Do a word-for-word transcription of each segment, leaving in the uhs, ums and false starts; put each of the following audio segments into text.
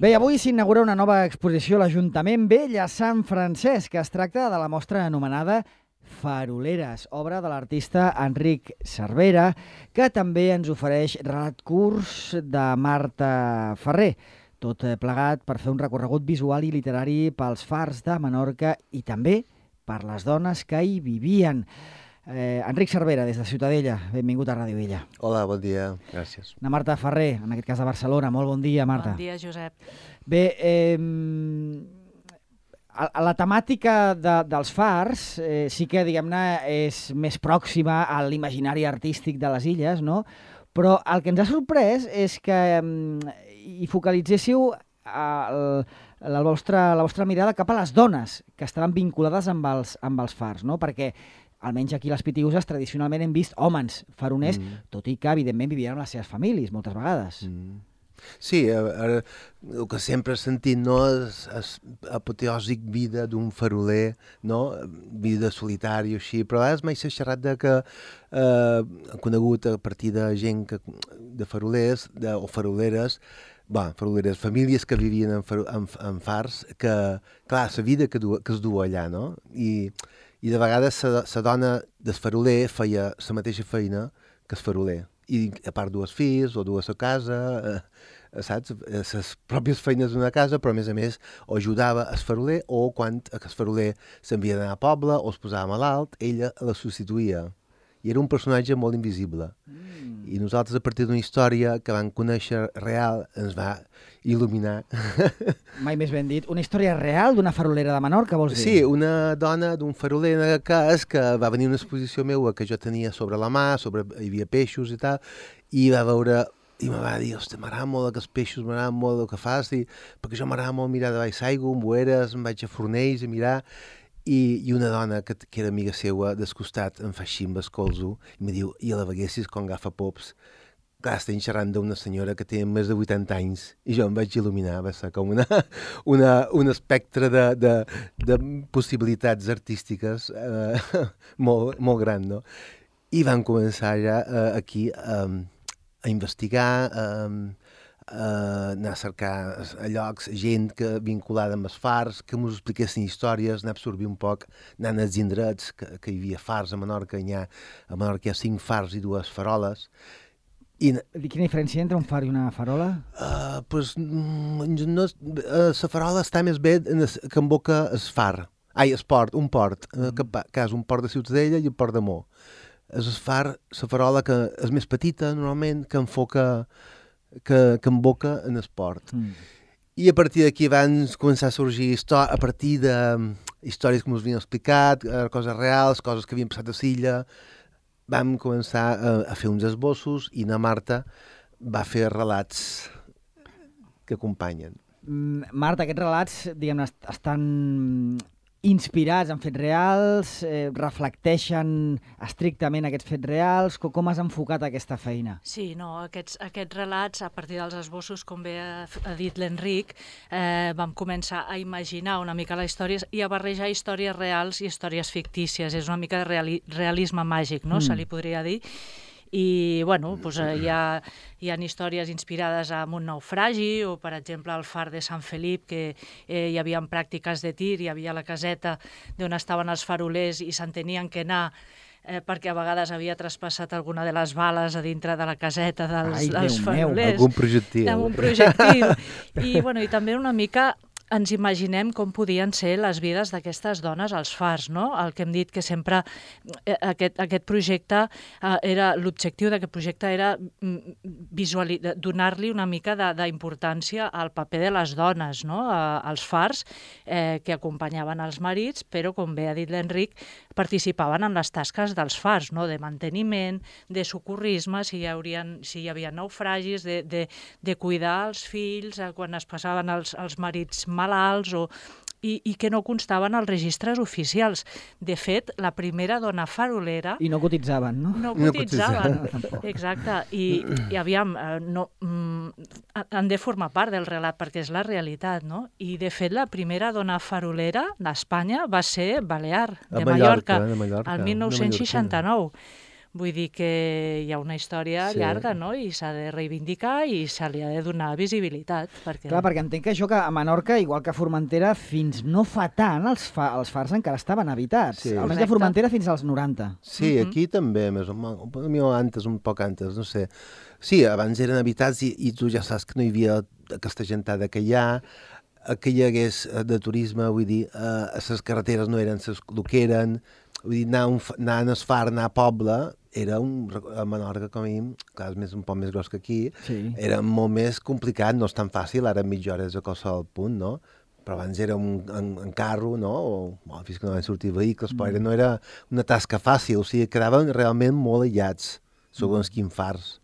Bé, avui s'inaugura una nova exposició a l'Ajuntament Vell a Sant Francesc, que es tracta de la mostra anomenada Faroleres, obra de l'artista Enric Cervera, que també ens ofereix relat curs de Marta Ferrer. Tot plegat per fer un recorregut visual i literari pels fars de Menorca i també per les dones que hi vivien. Eh, Enric Cervera, des de Ciutadella, benvingut a Ràdio Vella. Hola, bon dia, gràcies. Na Marta Ferrer, en aquest cas de Barcelona. Molt bon dia, Marta. Bon dia, Josep. Bé, eh, la temàtica de, dels fars eh, sí que, diguem-ne, és més pròxima a l'imaginari artístic de les illes, no? Però el que ens ha sorprès és que eh, hi focalitzéssiu el, la, vostra, la vostra mirada cap a les dones que estaven vinculades amb els, amb els fars, no? Perquè almenys aquí a les Pitiüses tradicionalment hem vist homes faroners, mm. tot i que evidentment vivien amb les seves famílies moltes vegades. Mm. Sí, ara, el que sempre he sentit, no, és, és apoteòsic vida d'un faroler, no? Vida solitària, així, però a vegades m'he xerrat de que eh, he conegut a partir de gent que, de farolers de, o faroleres, Bé, faroleres, famílies que vivien en, far, en, en fars, que, clar, la vida que, du, que es du allà, no? I, i de vegades la dona del faroler feia la mateixa feina que el faroler. I a part dues fills o dues a casa, eh, saps? Les pròpies feines d'una casa, però a més a més o ajudava el faroler o quan el faroler s'envia d'anar a poble o es posava malalt, ella la substituïa. I era un personatge molt invisible. Mm. I nosaltres, a partir d'una història que vam conèixer real, ens va il·luminar. Mai més ben dit. Una història real d'una farolera de Menorca, vols dir? Sí, una dona d'un faroler en aquest cas que va venir a una exposició meva que jo tenia sobre la mà, sobre, hi havia peixos i tal, i va veure i em va dir, hosti, m'agrada molt aquests peixos, m'agrada molt el que fas, i, perquè jo m'agrada molt mirar de baix aigua, amb boeres, em vaig a Fornells a mirar, i, i una dona que, que era amiga seva del costat em fa així amb el colzo i em diu, i a la veguessis com agafa pops. Clar, estem xerrant d'una senyora que té més de vuitanta anys i jo em vaig il·luminar, va ser com una, una, un espectre de, de, de possibilitats artístiques eh, molt, molt gran, no? I vam començar ja eh, aquí eh, a investigar, eh, Uh, anar a cercar a llocs, gent que, vinculada amb els fars, que ens expliquessin històries, anar a absorbir un poc, anant als indrets, que, que hi havia fars a Menorca, hi ha, a Menorca hi ha cinc fars i dues faroles. I, Quina diferència entre un far i una farola? Uh, pues, no, uh, la farola està més bé en es, que envoca el far. Ai, el port, un port, mm. uh, que, que és un port de Ciutadella i un port de Mó. És el far, la farola que és més petita, normalment, que enfoca que, que emboca en esport. Mm. I a partir d'aquí van començar a sorgir a partir de històries que ens havien explicat, coses reals, coses que havien passat a l'illa. Vam començar a, a fer uns esbossos i na Marta va fer relats que acompanyen. Marta, aquests relats, diguem-ne, estan inspirats en fets reals, eh, reflecteixen estrictament aquests fets reals? Com, com has enfocat aquesta feina? Sí, no, aquests, aquests relats, a partir dels esbossos, com bé ha, ha dit l'Enric, eh, vam començar a imaginar una mica la història i a barrejar històries reals i històries fictícies. És una mica de reali realisme màgic, no? Mm. Se li podria dir. I, bueno, doncs, hi ha, hi ha històries inspirades en un naufragi o, per exemple, al far de Sant Felip, que eh, hi havia pràctiques de tir, hi havia la caseta d'on estaven els farolers i se'n tenien que anar eh, perquè a vegades havia traspassat alguna de les bales a dintre de la caseta dels, Ai, dels Déu farolers. meu. Algun projectil. Algun projectil. I, bueno, i també una mica ens imaginem com podien ser les vides d'aquestes dones als fars, no? El que hem dit que sempre eh, aquest, aquest projecte eh, era, l'objectiu d'aquest projecte era donar-li una mica d'importància al paper de les dones, no? A, als fars eh, que acompanyaven els marits, però, com bé ha dit l'Enric, participaven en les tasques dels fars, no? De manteniment, de socorrisme, si hi, haurien, si hi havia naufragis, de, de, de cuidar els fills eh, quan es passaven els, els marits malalts o, i, i que no constaven als registres oficials. De fet, la primera dona farolera... I no cotitzaven, no? No cotitzaven, no exacte. I, i aviam, no, han de formar part del relat perquè és la realitat, no? I, de fet, la primera dona farolera d'Espanya va ser Balear, de Mallorca, de Mallorca, el mil nou-cents seixanta-nou. Vull dir que hi ha una història Sí. llarga, no? I s'ha de reivindicar i se li ha de donar visibilitat. Perquè... Clar, perquè entenc que això que a Menorca, igual que a Formentera, fins no fa tant els, fa, els fars encara estaven habitats. Sí. Almenys Correcte. a Formentera fins als noranta. Sí, Mhm. aquí també, més o menys, antes, un poc antes, no sé. Sí, abans eren habitats i, i tu ja saps que no hi havia aquesta gentada que hi ha, que hi hagués de turisme, vull dir, eh, les carreteres no eren ses, el que eren, vull dir, anar, un, anar a Esfar, anar a poble, era un, a Menorca, com a mínim, clar, és més, un poc més gros que aquí, Sí. era molt més complicat, no és tan fàcil, ara mitja hora és a qualsevol punt, no? Però abans era un, en, en carro, no? O, bueno, fins que no van sortir vehicles, però era, no era una tasca fàcil, o sigui, quedaven realment molt aïllats, segons mm. quins fars.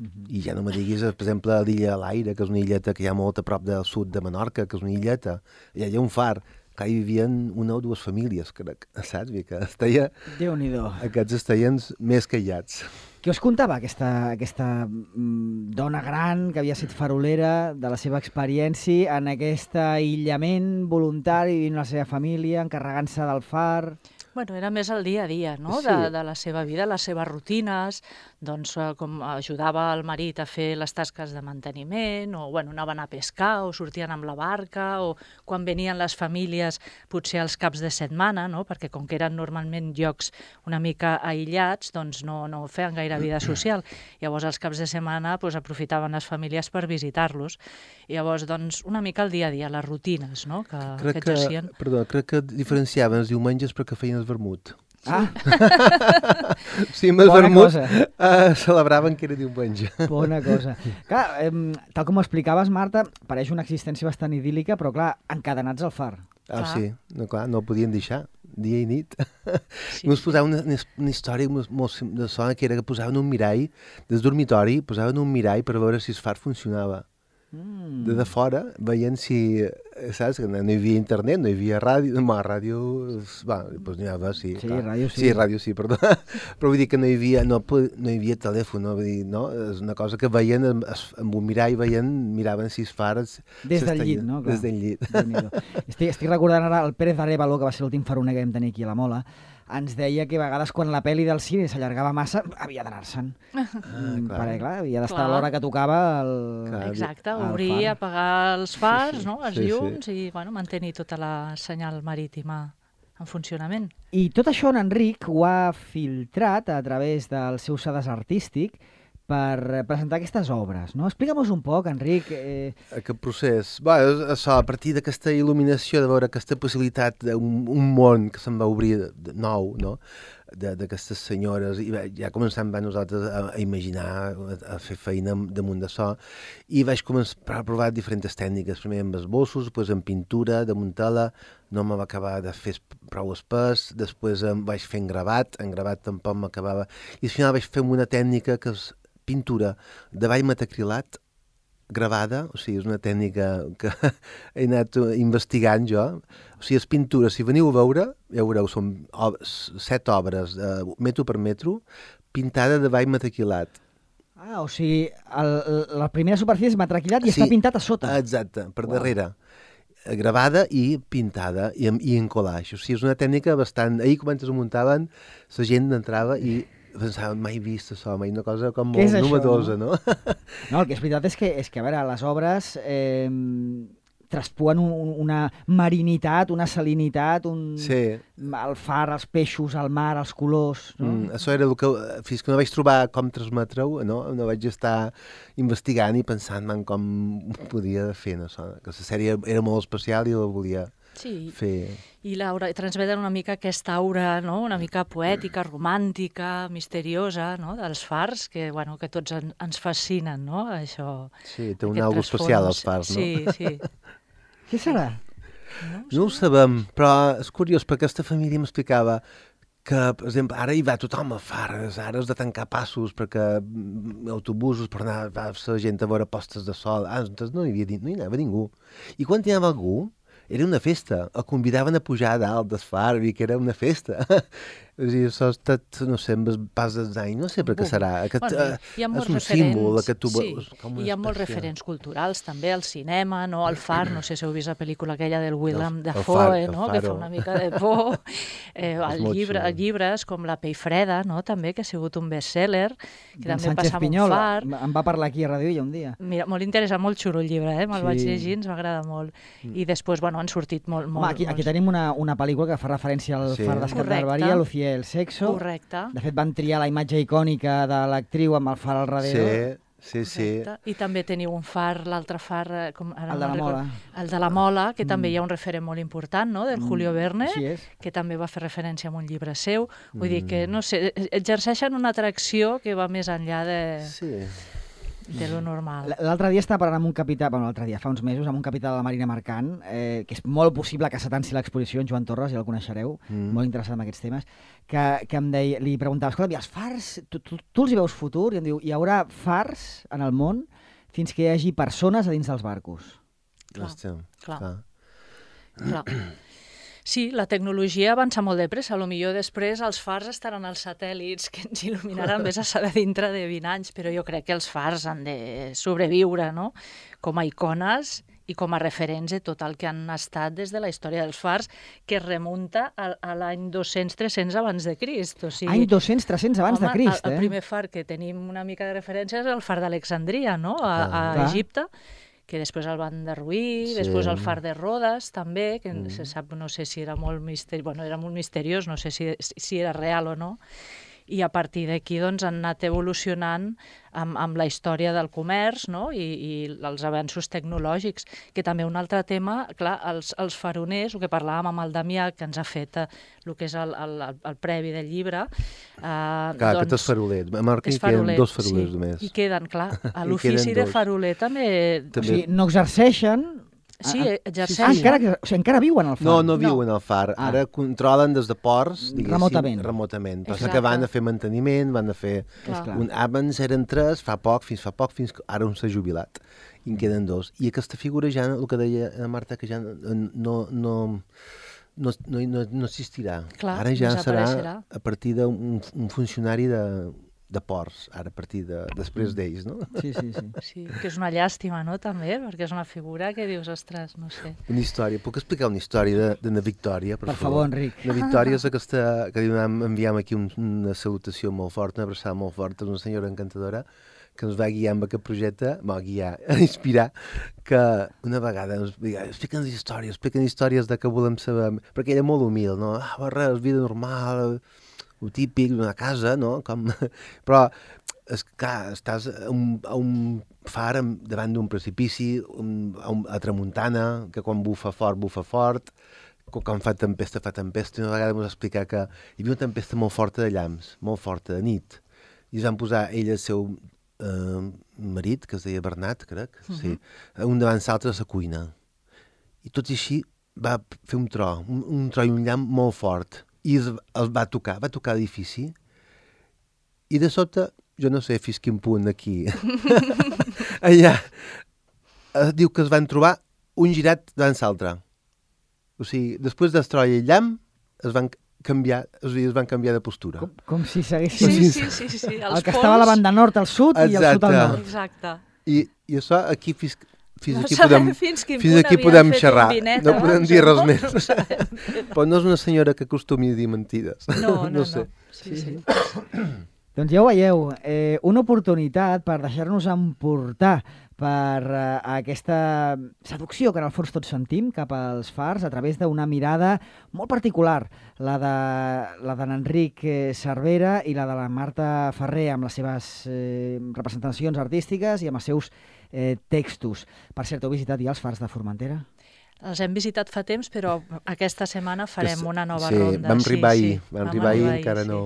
Mm-hmm. I ja no me diguis, per exemple, l'illa l'Aire, que és una illeta que hi ha molt a prop del sud de Menorca, que és una illeta, allà hi ha un far, que hi vivien una o dues famílies, crec, saps? Que estaia, Déu-n'hi-do. aquests estaien més que aïllats. Què us contava aquesta, aquesta mm, dona gran que havia estat farolera de la seva experiència en aquest aïllament voluntari, vivint amb la seva família, encarregant-se del far... Bueno, era més el dia a dia, no?, Sí. de, de la seva vida, les seves rutines, doncs eh, com ajudava el marit a fer les tasques de manteniment, o bueno, anaven a pescar, o sortien amb la barca, o quan venien les famílies, potser als caps de setmana, no?, perquè com que eren normalment llocs una mica aïllats, doncs no, no feien gaire vida social. Llavors, als caps de setmana doncs, aprofitaven les famílies per visitar-los. Llavors, doncs, una mica el dia a dia, les rutines, no?, que, Crec que que, exercien. perdó, crec que diferenciaven els diumenges perquè feien el vermut. Ah, Sí, amb el Bona vermut cosa. eh, celebraven que era diumenge. bona cosa. Clar, em, tal com ho explicaves, Marta, pareix una existència bastant idíl·lica, però clar, encadenats al far. Ah, Clar. sí, no, clar, no el podien deixar, dia i nit. Sí, I ens posaven una, una, una història molt, molt de sona, que era que posaven un mirall, des dormitori, posaven un mirall per veure si el far funcionava. Mm. De de fora, veient si, eh, saps, que no hi havia internet, no hi havia ràdio, no, ràdio, va, doncs n'hi havia, sí. Sí, clar. ràdio sí. Sí, ràdio sí, perdó. Però vull dir que no hi havia, no, po- no hi havia telèfon, no? Vull dir, no? És una cosa que veien, amb, es- amb un mirall veien, miraven si es fares... Des del llit, no? Clar. Des del llit. Déu-n'hi-do. estic, estic recordant ara el Pérez d'Arevalo, que va ser l'últim faroner que vam tenir aquí a la Mola, ens deia que a vegades quan la pel·li del cine s'allargava massa, havia d'anar-se'n. Ah, Mm, clar. perquè, clar, havia d'estar a Clar. l'hora que tocava el... Clar. exacte, al obrir, far. apagar els fars, Sí, sí. no?, els Sí, sí. llums i bueno, mantenir tota la senyal marítima en funcionament. I tot això en Enric ho ha filtrat a través del seu sedàs artístic per presentar aquestes obres, no? Explica'm-nos un poc, Enric. Eh, Aquest procés. Bé, és això, a partir d'aquesta il·luminació, de veure aquesta possibilitat d'un un món que se'n va obrir de, de nou, no?, de- d'aquestes senyores, i va- ja començant va nosaltres a, a imaginar, a, a fer feina damunt d'això, i vaig començar a provar diferents tècniques, primer amb esbossos, després amb pintura, damunt tela, no me va acabar de fer esp- prou espès, després em vaig fer en gravat, en gravat tampoc m'acabava, i al final vaig fer amb una tècnica que és pintura de ball metacrilat gravada, o sigui, és una tècnica que he anat investigant jo. O sigui, és pintura, si veniu a veure, ja veureu, són ob set obres, eh, metro per metro, pintada de ball metacrilat. ah, o sigui, el, el- la primera superfície és matraquillat i Sí. està pintat a sota. Exacte, per Uau. darrere. Eh, Gravada i pintada, i, en- i en collage. O sigui, és una tècnica bastant... Ahir, quan es muntaven, la gent entrava i pensava, mai vist això, mai una cosa com Què és molt això, novedosa, no? No, el que és veritat és que, és que a veure, les obres eh, traspuen un, un- una marinitat, una salinitat, un... Sí. el far, els peixos, el mar, els colors... No? Mm, això era el que, fins que no vaig trobar com transmetre-ho, no? no vaig estar investigant i pensant en com ho podia fer, no? Això, que la sèrie era molt especial i la volia Sí, fer. i l'aura, transmeten una mica aquesta aura, no?, una mica poètica, romàntica, misteriosa, no?, dels fars, que, bueno, que tots en, ens fascinen, no?, això... Sí, té un aquest algo especial als trasfons. fars, no? Sí, sí. Què serà? No ho sabem, però és curiós, perquè aquesta família m'explicava que, per exemple, ara hi va tothom a fares, ara has de tancar passos perquè mm, autobusos per anar va la gent a veure postes de sol. Ah, doncs no hi, havia, no hi anava ningú. I quan hi anava algú, era una festa. El convidaven a pujar a dalt del far, i que era una festa. És a dir, això ha estat, no sé, amb el pas dels anys, no sé per què serà. Aquest, bueno, uh, hi ha molts és un referents, símbol, aquest tu sí, veus com hi ha molts espècie. referents culturals també, al cinema, no? Al Far, no sé si heu vist la pel·lícula aquella del Willem El- el Dafoe, Far, el no? Que fa Faro. una mica de por. Eh, És el molt llibre, xulo. llibres com La pell freda, no? També, que ha sigut un best-seller, que En també Sánchez passa amb un Pinyol far. em va parlar aquí a Ràdio Illa un dia. Mira, molt interessant, molt xulo el llibre, eh? Me'l Sí. vaig llegir, ens va agradar molt. I després, bueno, han sortit molt... molt Home, aquí, aquí molts... tenim una, una pel·lícula que fa referència al Sí. far d'Escat Correcte. d'Alberia, Lucía el Sexo. Correcte. De fet, van triar la imatge icònica de l'actriu amb el far al darrere. Sí, sí, sí. Correcte. I també teniu un far, l'altre far... eh, Com, ara El no de la recordo. Mola. El de la Mola, que també hi ha un referent molt important, no?, del Julio Verne, Així és. que també va fer referència a un llibre seu. Vull dir Mm. que, no sé, exerceixen una atracció que va més enllà de, Sí. de lo normal. L'altre dia estava parlant amb un capità, bueno, l'altre dia, fa uns mesos, amb un capità de la Marina Mercant, eh, que és molt possible que s'atanci l'exposició, en Joan Torres, ja el coneixereu, Mm. molt interessat en aquests temes, que, que em deia, li preguntava, escolta, i els fars, tu, tu, tu els hi veus futur? I em diu, hi haurà fars en el món fins que hi hagi persones a dins dels barcos. Clar, Hòstia, clar. clar. Clar. Sí, la tecnologia avança molt de pressa. A lo millor després els fars estaran als satèl·lits que ens il·luminaran més a saber dintre de vint anys, però jo crec que els fars han de sobreviure, no?, com a icones i com a referents de tot el que han estat des de la història dels fars, que es remunta a, a l'any dos-cents tres-cents abans de Crist. O sigui, Any dos-cents tres-cents abans home, de Crist, el, eh? el primer far que tenim una mica de referència és el far d'Alexandria, no?, a, a Clar. Egipte, que després el van derruir, Sí. després el far de Rodes també, que mm. se sap, no sé si era molt misteriós, bueno, era molt misteriós, no sé si, si era real o no, i a partir d'aquí doncs, han anat evolucionant amb, amb la història del comerç, no?, i, i els avenços tecnològics, que també un altre tema, clar, els, els faroners, el que parlàvem amb el Damià, que ens ha fet eh, el que és el, el, el, el previ del llibre, eh, Clar, doncs, aquest és faroler. A Marca és hi queden faroler, dos farolers sí, només. i queden, clar, a Hi l'ofici queden de dos. faroler també... O També. sigui, no exerceixen... Sí, Ah, ah, exerceixen. Ah, encara, que- o sigui, encara viuen al far. No, no viuen al far. Ah. Ara controlen des de ports, diguéssim, Remotament. remotament. Passa Exacte. que van a fer manteniment, van a fer... Clar. clar. Un, abans eren tres, fa poc, fins fa poc, fins que ara un s'ha jubilat. I en queden dos. I aquesta figura ja, el que deia la Marta, que ja no, no, no, no, no, no, no existirà. Clar, ara ja serà desapareixerà. a partir d'un un funcionari de, de ports, ara a partir de, després d'ells, no? Sí, sí, sí. Sí, que és una llàstima, no?, també, perquè és una figura que dius, ostres, no sé. Una història. Puc explicar una història de, de na Victòria, per, Per favor, Enric. La Victòria és aquesta, que li donem- enviem aquí un, una salutació molt forta, una abraçada molt forta, és una senyora encantadora que ens va guiar amb aquest projecte, va guiar, a inspirar, que una vegada ens va dir, explica'ns històries, explica'ns històries de què volem saber, perquè era molt humil, no? Ah, va, res, vida normal, el típic d'una casa, no? Com... Però, és clar, estàs a un, a un far amb, davant d'un precipici, un, a, un, a tramuntana, que quan bufa fort, bufa fort, que quan fa tempesta, fa tempesta. I una vegada ens va explicar que hi havia una tempesta molt forta de llamps, molt forta, de nit. I es van posar ell i el seu eh, marit, que es deia Bernat, crec, uh -huh. sí, un davant l'altre a la cuina. I tot i així va fer un tro, un, un tro i un llamp molt fort. I es, els va tocar, va tocar l'edifici. I de sobte, jo no sé fins quin punt aquí, allà, eh, diu que es van trobar un girat davant l'altre. O sigui, després del tro i el llamp, es van canviar, o sigui, es van canviar de postura. Com, com si s'haguessin... Sí, sí, sí, sí, sí. El que estava a la banda nord al sud i el sud al Exacte. nord. Exacte. I, i això aquí fins, fins No aquí sabem podem, fins quin fins punt aquí havien podem fet xerrar. un vinet No abans podem o dir res no, més. no ho sabem. Però no és una senyora que acostumi a dir mentides. No, no, no. sé. Sí, sí. Doncs ja ho veieu, eh, una oportunitat per deixar-nos emportar per eh, aquesta seducció que en el fons tots sentim cap als fars a través d'una mirada molt particular, la de la d'en Enric eh, Cervera i la de la Marta Ferrer amb les seves eh, representacions artístiques i amb els seus eh, textos. Per cert, heu visitat ja els fars de Formentera? Els hem visitat fa temps, però aquesta setmana farem Que s- una nova sí, ronda. vam arribar sí, ahir, sí. vam arribar ahir, encara sí. no...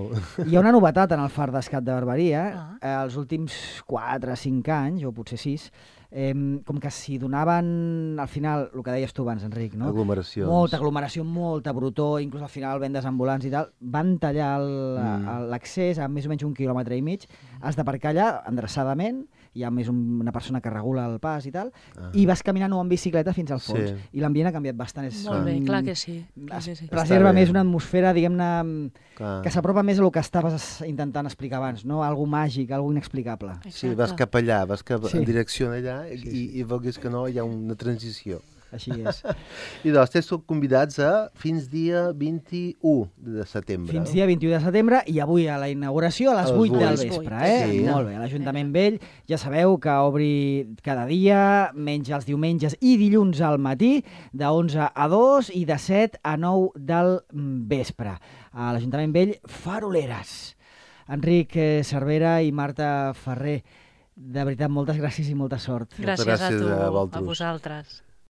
Hi ha una novetat en el far d'Escat de Barberia. Ah. Eh, els últims quatre o cinc anys, o potser sis, eh, com que s'hi donaven, al final, el que deies tu abans, Enric, no? Aglomeracions. Molta aglomeració, molta brutor, inclús al final vendes ambulants i tal, van tallar el- Mm. el- l'accés a més o menys un quilòmetre i mig, has d'aparcar allà endreçadament hi ha més una persona que regula el pas i tal, ah. i vas caminant o en bicicleta fins al fons. Sí. I l'ambient ha canviat bastant. És, Molt bé, clar que sí. Clar es que sí. preserva més una atmosfera, diguem-ne, que s'apropa més a el que estaves intentant explicar abans, no? Algo màgic, algo inexplicable. Exacte. Sí, vas cap allà, vas cap sí. en direcció allà i, sí, sí. i veus que no, hi ha una transició. Així és. I doncs, esteu convidats a fins dia vint-i-u de setembre. Fins dia vint-i-u de setembre i avui a la inauguració a les vuit del vespre. Eh? Sí. Molt bé, l'Ajuntament Vell ja sabeu que obri cada dia, menys els diumenges i dilluns al matí, de onze a dos i de set a nou del vespre. A l'Ajuntament Vell, Faroleres. Enric Cervera i Marta Ferrer, de veritat, moltes gràcies i molta sort. Gràcies, gràcies a tu, a, a vosaltres.